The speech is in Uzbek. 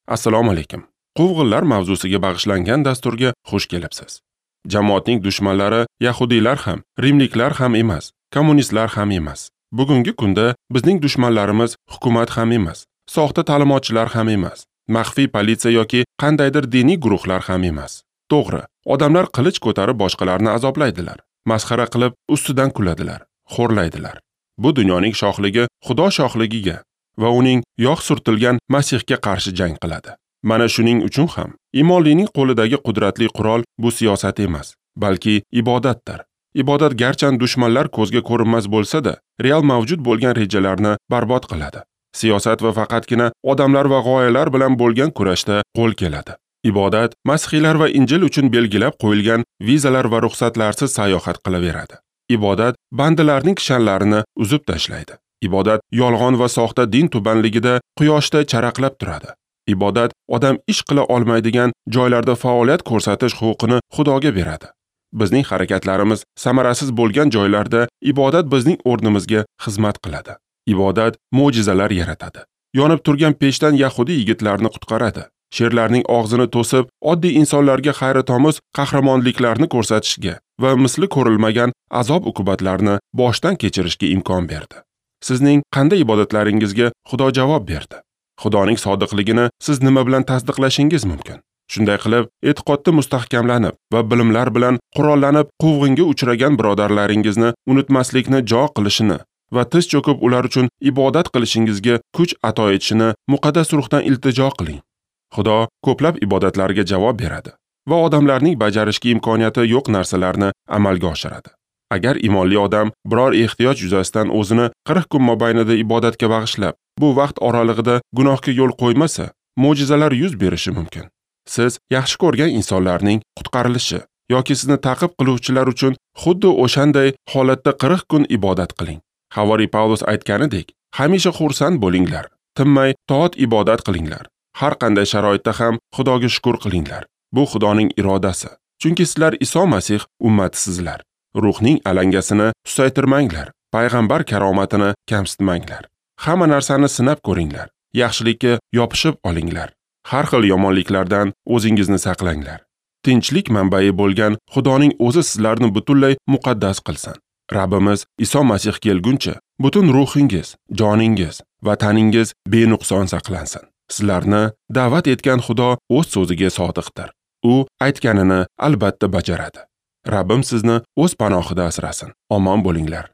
Assalomu alaykum. Quvg'inlar mavzusiga bag'ishlangan dasturga xush kelibsiz. Jamoatning dushmanlari yahudiylar ham, rimliklar ham emas, kommunistlar ham emas. Bugungi kunda bizning dushmanlarimiz hukumat ham emas, soxta ta'limotchilar ham emas, maxfiy politsiya yoki qandaydir diniy guruhlar ham emas. To'g'ri, odamlar qilich ko'tarib boshqalarni azoblaydilar, masxara qilib ustidan kuladilar, xo'rlaydilar. Bu dunyoning shohligi Xudo shohligiga va uning yog' surtilgan Masihga qarshi jang qiladi. Mana shuning uchun ham imonlining qo'lidagi qudratli qurol bu siyosat emas, balki ibodatdir. Ibodat garchan dushmanlar ko'zga ko'rinmas bo'lsa-da, real mavjud bo'lgan rejalarni barbod qiladi. Siyosat va faqatgina odamlar va g'oyalar bilan bo'lgan kurashda qo'l keladi. Ibodat masihiylar va Injil uchun belgilab qo'yilgan vizalar va ruxsatlarsiz sayohat qilaveradi. Ibodat bandalarning kishanlarini uzib tashlaydi. Ibodat yolg'on va soxta din tubanligida quyoshda charaqlab turadi. Ibodat odam ish qila olmaydigan joylarda faoliyat ko'rsatish huquqini Xudoga beradi. Bizning harakatlarimiz samarasiz bo'lgan joylarda ibodat bizning o'rnimizga xizmat qiladi. Ibodat mo'jizalar yaratadi. Yonib turgan pechdan yahudi yigitlarni qutqaradi. Sherlarning og'zini to'sib, oddiy insonlarga hayratomuz qahramonliklarni ko'rsatishga va misli ko'rilmagan azob-uqubatlarni boshdan kechirishga imkon berdi. Sizning qanday ibodatlaringizga Xudo javob berdi? Xudoning sodiqligini siz nima bilan tasdiqlashingiz mumkin? Shunday qilib, e'tiqodda mustahkamlanib va bilimlar bilan qurollanib quvg'inga uchragan birodarlaringizni unutmaslikni jo qilishini va tiz cho'kib ular uchun ibodat qilishingizga kuch ato etishini muqaddas ruhdan iltijo qiling. Xudo ko'plab ibodatlarga javob beradi va odamlarning bajarishga imkoniyati yo'q narsalarni amalga oshiradi. Agar imonli odam biror ehtiyoj yuzasidan o'zini 40 kun mobaynida ibodatga bag'ishlab, bu vaqt oralig'ida gunohga yo'l qo'ymasa, mo'jizalar yuz berishi mumkin. Siz yaxshi ko'rgan insonlarning qutqarilishi yoki sizni ta'qib qiluvchilar uchun xuddi o'shanday holatda 40 kun ibodat qiling. Havoriy Pavlus aytganidek, hamisha xursand bo'linglar, tinmay toat ibodat qilinglar. Har qanday sharoitda ham Xudoga shukr qilinglar. Bu Xudoning irodasi. Chunki sizlar Iso Masih ummatisizlar. Ruhning alangasini susaytirmanglar, payg'ambar karomatini kamsitmanglar. Hamma narsani sinab ko'ringlar, yaxshilikka yopishib olinglar. Har xil yomonliklardan o'zingizni saqlanglar. Tinchlik manbai bo'lgan Xudoning o'zi sizlarni butunlay muqaddas qilsin. Rabbimiz Iso Masih kelguncha butun ruhingiz, joningiz va taningiz benuqson saqlansin. Sizlarni da'vat etgan Xudo o'z so'ziga sodiqdir. U aytganini albatta bajaradi. Rabbim sizni o'z panohida asrasin. Omon bo'linglar.